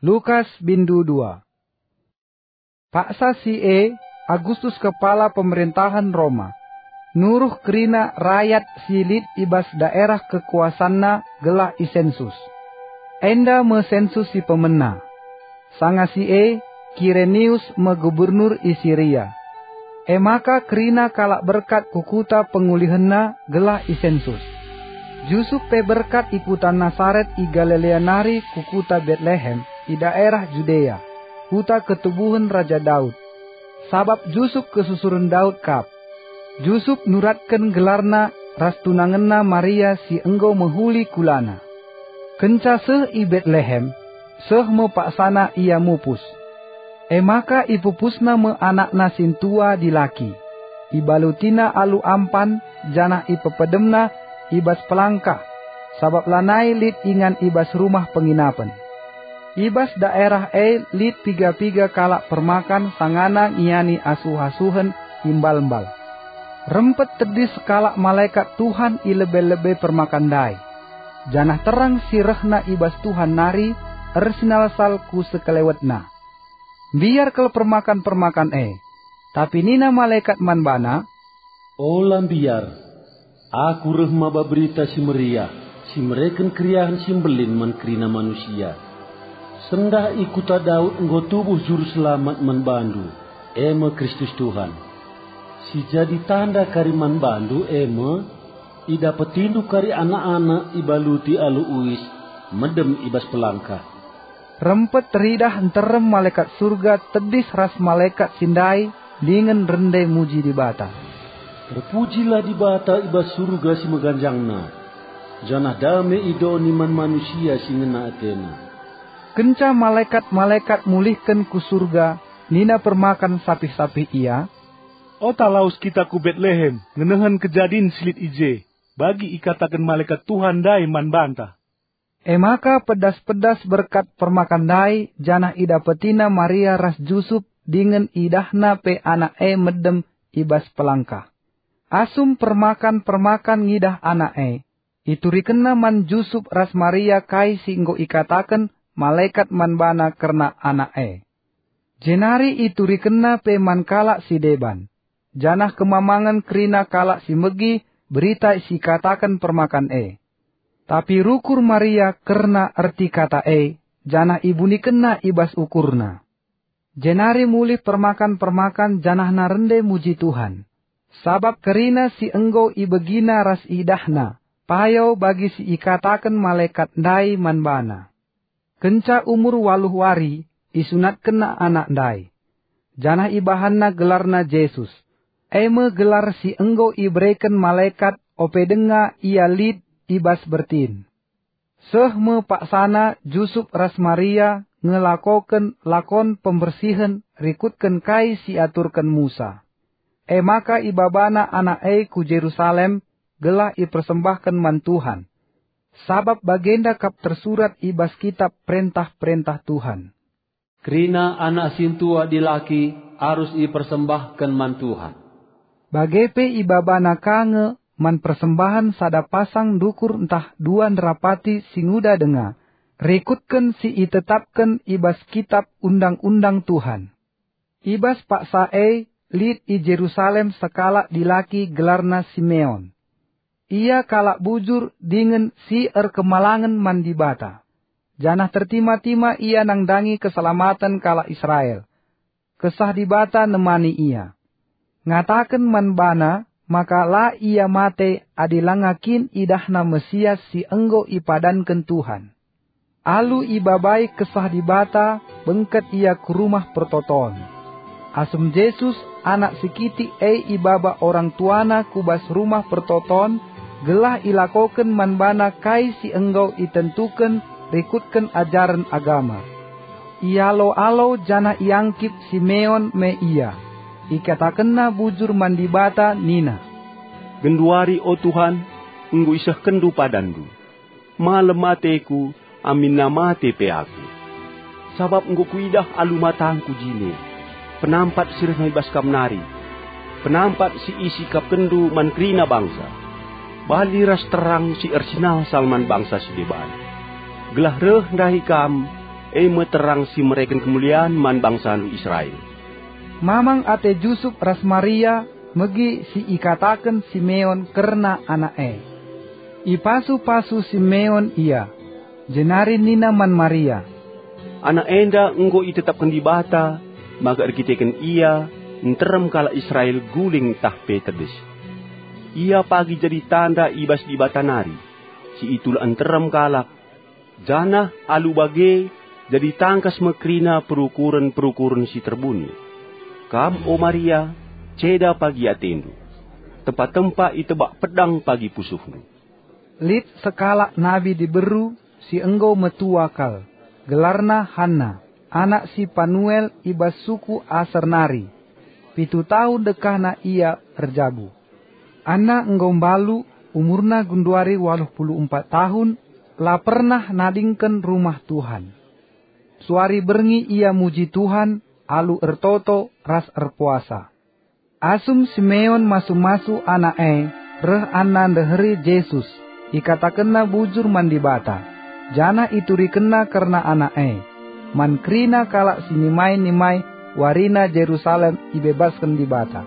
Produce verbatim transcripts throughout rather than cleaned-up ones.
Lukas bindu dua. Paksa si e, Agustus kepala pemerintahen Roma, nuruh kerina rayat si lit i bas daerah kekuasanna gelah isensus. Enda me sensus si pemena. Sanga si e, Kirenius me gubernur i Siria. E maka kerina kalak berkat ku kuta pengulihenna gelah isensus. Jusup pe berkat i kuta Nasaret i Galilea nari ku kuta Betlehem i daerah Judea, kuta ketubuhen Raja Daud. Sabap Jusup kesusuren Daud kap. Jusup nuratken gelarna ras tunangenna Maria si enggo mehuli kulana. Kenca seh i Betlehem, seh me paksana ia mupus. E maka ipupusna me anakna sintua dilaki. Ibalutina alu ampan, janah ipepedemna i bas pelangkah, sabap lanai lit ingan i bas rumah penginapen. I bas daerah e lit piga-piga kalak permakan sangana ngiani asuh-asuhen i mbal-mbal. Rempet tedis sekalak malekat Tuhan i lebe-lebe permakan ndai, janah terang si rehna i bas Tuhan nari ersinalsal ku sekelewetna. Mbiar kal permakan-permakan e, tapi nina malekat man bana, "Ola mbiar! Aku reh maba Berita Si Meriah, si mereken keriahen si mbelin man kerina manusia. Sendah i kuta Daud enggo tubuh Juru Selamat man bandu, e me Kristus Tuhan. Si jadi tanda kari man bandu e me, idapetindu kari anak-anak ibaluti alu uis, medem i bas pelangkah." Rempet teridah nterem malekat Surga tedis ras malekat si ndai dingen rende muji Dibata. "Terpujilah Dibata i bas Surga si meganjangna, janah dame i doni man manusia si ngena atena." Kenca malekat-malekat mulihken ku Surga, nina permakan sapih-sapih ia, "Ota lawes kita ku Betlehem ngenehen kejadin si lit i je, bagi ikataken malekat Tuhan ndai man banta." E maka pedas-pedas berkat permakan ndai, janah idapetina Maria ras Jusup dingen idahna pe anak e medem i bas pelangkah. Asum permakan-permakan ngidah anak e, iturikenna man Jusup ras Maria kai si enggo ikataken malekat man bana kerna anak e. Jenari iturikenna pe man kalak si deban, janah kemamangen kerina kalak si megi berita si ikataken permakan e. Tapi rukur Maria kerna erti kata e, janah ibunikenna i bas ukurna. Jenari mulih permakan-permakan janahna rende muji Tuhan, sabap kerina si enggo ibegina ras idahna payo bagi si ikataken malekat ndai man bana. Kenca umur waluh wari, isunatkenna anak ndai, janah ibahanna gelarna Jesus, e me gelar si enggo ibereken malekat ope denga ia lit i bas bertin. Seh me paksana Jusup ras Maria ngelakoken lakon pembersihen rikutken kai si aturken Musa. E maka ibabana anak e ku Jerusalem gelah ipersembahken man Tuhan, sabap bagenda kap tersurat i bas kitap perentah-perentah Tuhan, "Kerina anak sintua dilaki arus ipersembahken man Tuhan." Bage pe ibabana ka nge man persembahen sada pasang ndukur ntah dua nderapati si nguda denga, rikutken si itetapken i bas kitap undang-undang Tuhan. I bas paksa e lit i Jerusalem sekalak dilaki gelarna Simeon. Ia kalak bujur dingen si erkemalangen man Dibata, janah tertima-tima ia nandangi keselamaten kalak Israel. Kesah Dibata nemani ia. Ngataken man bana maka la ia mate adi langa kin idahna Mesias si enggo ipadanken Tuhan. Alu ibabai Kesah Dibata, bengket ia ku Rumah Pertoton. Asum Jesus, anak si kitik e, ibaba orang tuana ku bas Rumah Pertoton, gelah ilakoken man bana kai si enggo itentuken rikutken ajaren agama. Ialo-alo janah iangkip Simeon me ia. Ikatakenna bujur man Dibata nina, "Genduari, o Tuhan, enggo isehkenNdu padanNdu. Malem ateku, aminna mate pe aku. Sabap enggo kuidah alu matangku jine penampat si rehna i bas Kam nari, penampat si isikapkenNdu man kerina bangsa, bali ras terang si ersinalsal man bangsa si deban, gelah reh ndahi Kam e me terang si mereken kemulian man bangsandu Israel. Mamang ate Jusup ras Maria megi si ikataken Simeon kerna anak e. Ipasu-pasu Simeon ia, jenari nina man Maria, "Anak enda enggo itetapken Dibata maka erkiteken ia nterem kalak Israel guling tah pe tedis. Ia pagi jadi tanda i bas Dibata nari, si itulak nterem kalak, janah alu bage jadi tangkas me kerina perukuren-perukuren si terbuni. Kam, o Maria, ceda pagi atendu. Tempa-tempa itebak pedang pagi pusuhndu." Lit sekalak nabi diberu si enggo metua kal, gelarna Hanna, anak si Panuel i bas suku Aser nari. Pitu tahun dekahna ia erjabu. Anna enggo mbalu, umurna genduari waluh puluh empat tahun, la pernah nadingken Rumah Tuhan. Suari berngi ia muji Tuhan alu ertoto ras erpuasa. Asum Simeon masu-masu anak e, reh Anna ndeheri Jesus, ikatakenna bujur man Dibata, janah iturikenna kerna anak e. Man kerina kalak si nimai-nimai warina Jerusalem ibebasken Dibata.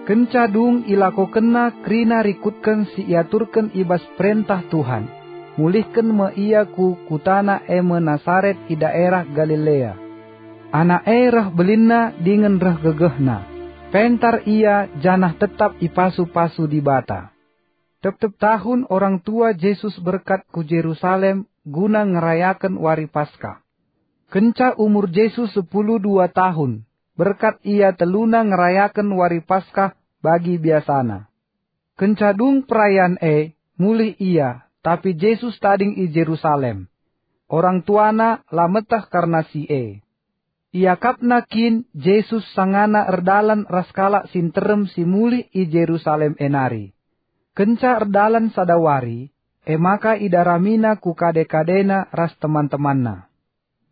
Kenca dung ilakokenna kerina rikutken si iaturken i bas perentah Tuhan, mulihken me ia ku kutana e me Nasaret i daerah Galilea. Anak e reh belinna dingen reh gegehna. Pentar ia janah tetap ipasu-pasu Dibata. Tep-tep tahun orang tua Jesus berkat ku Jerusalem guna ngerayaken wari Paskah. Kenca umur Jesus sepuluh dua tahun, berkat ia teluna ngerayaken wari Paskah bagi biasana. Kenca dung perayan e, mulih ia, tapi Jesus tading i Jerusalem. Orang tuana la meteh kerna si e. Iakapna kin Jesus sangana erdalan ras kalak si nterem si mulih i Jerusalem e nari. Kenca erdalan sada wari, e maka idaramina ku kade-kadena ras teman-temanna.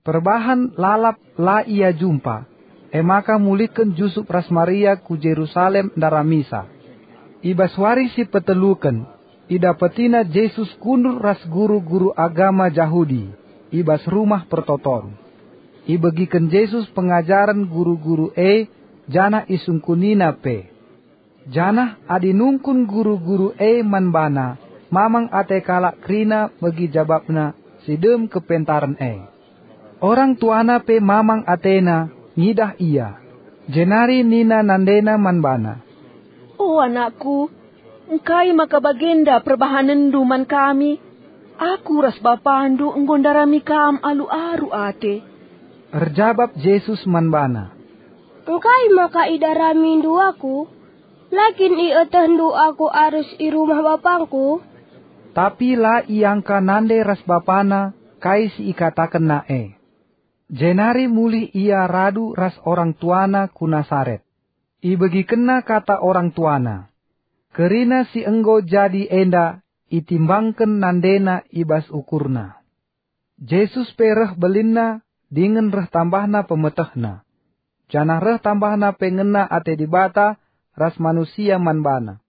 Perbahan lalap la ia jumpa, e maka mulihken Jusup ras Maria ku Jerusalem ndaramisa. I bas wari si peteluken, idapetina Jesus kundul ras guru-guru agama Jahudi i bas Rumah Pertoton. Ibegiken Jesus pengajaren guru-guru e janah isungkunina pe. Janah adi nungkun guru-guru e man bana, mamang ate kalak kerina megi jabapna si dem kepentaren e. Orang tuana pe mamang atena ngidah ia, jenari nina nandena man bana, "O anakku, engkai maka bagenda perbahanenndu man kami? Aku ras bapandu enggo ndarami kam alu aru ate." Erjabap Jesus man bana, "Engkai maka idaramindu aku? La kin ietehndu aku arus i rumah bapangku?" Tapi la iangka nande ras bapana kai si ikatakenna e. Jenari mulih ia radu ras orang tuana ku Nasaret. Ibegikenna kata orang tuana. Kerina si enggo jadi enda itimbangken nandena i bas ukurna. Jesus pe reh belinna dingen reh tambahna pemetehna, janah reh tambahna pe ngena ate Dibata ras manusia man bana.